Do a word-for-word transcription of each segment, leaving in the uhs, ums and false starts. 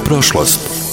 prošlost.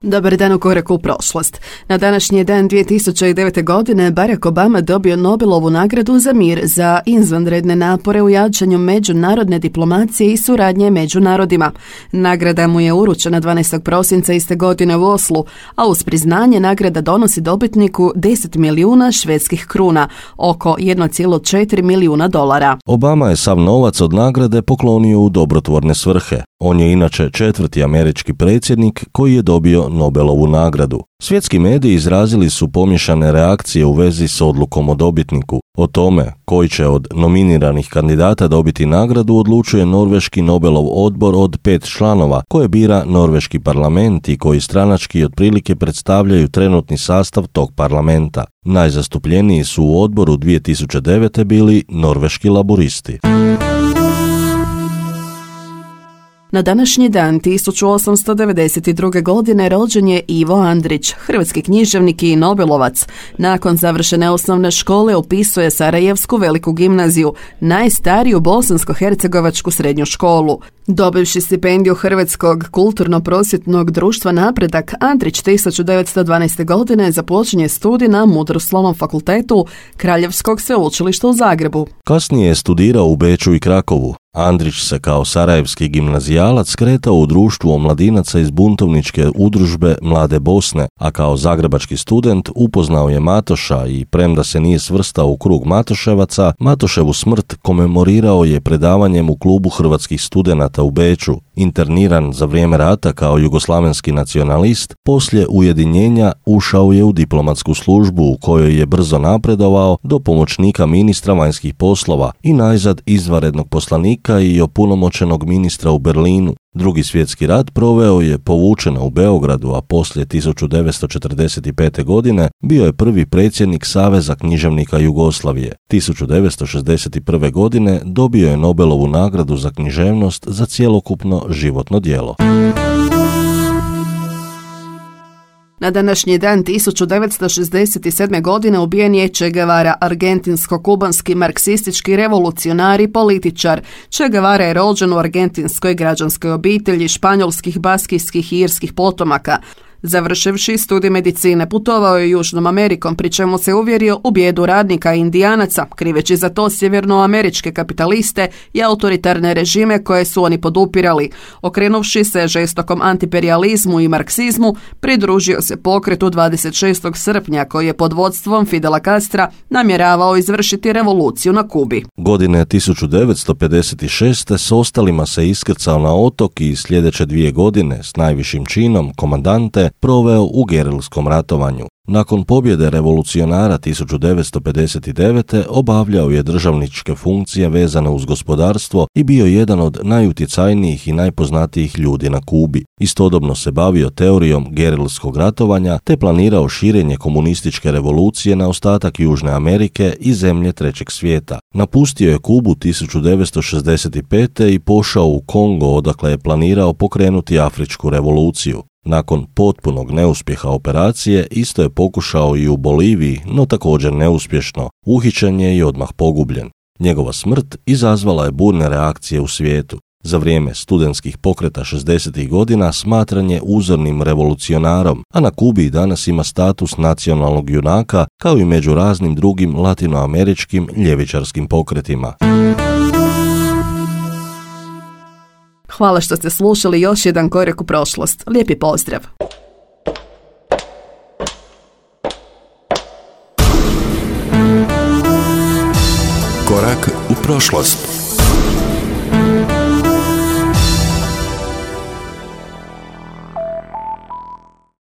Dobar dan u koraku u prošlost. Na današnji dan dvije tisuće devete. godine Barack Obama dobio Nobelovu nagradu za mir za izvanredne napore u jačanju međunarodne diplomacije i suradnje među narodima. Nagrada mu je uručena dvanaestog prosinca iste godine u Oslu, a uz priznanje nagrada donosi dobitniku deset milijuna švedskih kruna, oko jedan zarez četiri milijuna dolara. Obama je sav novac od nagrade poklonio u dobrotvorne svrhe. On je inače četvrti američki predsjednik koji je dobio Nobelovu nagradu. Svjetski mediji izrazili su pomiješane reakcije u vezi s odlukom o dobitniku. O tome koji će od nominiranih kandidata dobiti nagradu odlučuje Norveški Nobelov odbor od pet članova koje bira Norveški parlament i koji stranački otprilike predstavljaju trenutni sastav tog parlamenta. Najzastupljeniji su u odboru dvije tisuće devete. bili norveški laburisti. Na današnji dan tisuću osamsto devedeset druge. godine rođen je Ivo Andrić, hrvatski književnik i nobelovac. Nakon završene osnovne škole upisuje Sarajevsku veliku gimnaziju, najstariju bosansko-hercegovačku srednju školu. Dobivši stipendiju Hrvatskog kulturno-prosvjetnog društva Napredak, Andrić tisuću devetsto dvanaeste. godine započinje studij na Mudroslovnom fakultetu Kraljevskog sveučilišta u Zagrebu. Kasnije je studirao u Beču i Krakovu. Andrić se kao sarajevski gimnazijalac kretao u društvu omladinaca iz buntovničke udružbe Mlade Bosne, a kao zagrebački student upoznao je Matoša i premda se nije svrstao u krug Matoševaca, Matoševu smrt komemorirao je predavanjem u klubu hrvatskih studenata u Beču. Interniran za vrijeme rata kao jugoslavenski nacionalist, poslije ujedinjenja ušao je u diplomatsku službu u kojoj je brzo napredovao do pomoćnika ministra vanjskih poslova i najzad izvanrednog poslanika i opunomoćenog ministra u Berlinu. Drugi svjetski rat proveo je povučeno u Beogradu, a poslije tisuću devetsto četrdeset pete. godine bio je prvi predsjednik Saveza književnika Jugoslavije. tisuću devetsto šezdeset prve. godine dobio je Nobelovu nagradu za književnost za cjelokupno životno djelo. Na današnji dan tisuću devetsto šezdeset sedme. godine ubijen je Che Guevara, argentinsko-kubanski marksistički revolucionar i političar. Che Guevara je rođen u argentinskoj građanskoj obitelji španjolskih, baskijskih i irskih potomaka. Završivši studij medicine, putovao je Južnom Amerikom, pri čemu se uvjerio u bijedu radnika i indijanaca, kriveći za to sjevernoameričke kapitaliste i autoritarne režime koje su oni podupirali. Okrenuvši se žestokom antiperijalizmu i marksizmu, pridružio se pokretu dvadeset šestog srpnja koji je pod vodstvom Fidela Castra namjeravao izvršiti revoluciju na Kubi. Godine tisuću devetsto pedeset šeste. s ostalima se iskrcao na otok i sljedeće dvije godine s najvišim činom komandante proveo u gerilskom ratovanju. Nakon pobjede revolucionara tisuću devetsto pedeset devete. obavljao je državničke funkcije vezane uz gospodarstvo i bio jedan od najutjecajnijih i najpoznatijih ljudi na Kubi. Istodobno se bavio teorijom gerilskog ratovanja te planirao širenje komunističke revolucije na ostatak Južne Amerike i zemlje trećeg svijeta. Napustio je Kubu tisuću devetsto šezdeset pete. i pošao u Kongo, odakle je planirao pokrenuti afričku revoluciju. Nakon potpunog neuspjeha operacije, isto je pokušao i u Boliviji, no također neuspješno. Uhićen je i odmah pogubljen. Njegova smrt izazvala je burne reakcije u svijetu. Za vrijeme studentskih pokreta šezdesetih godina smatran je uzornim revolucionarom, a na Kubi danas ima status nacionalnog junaka, kao i među raznim drugim latinoameričkim ljevičarskim pokretima. Hvala što ste slušali još jedan korak u prošlost. Lijepi pozdrav! Korak u prošlost.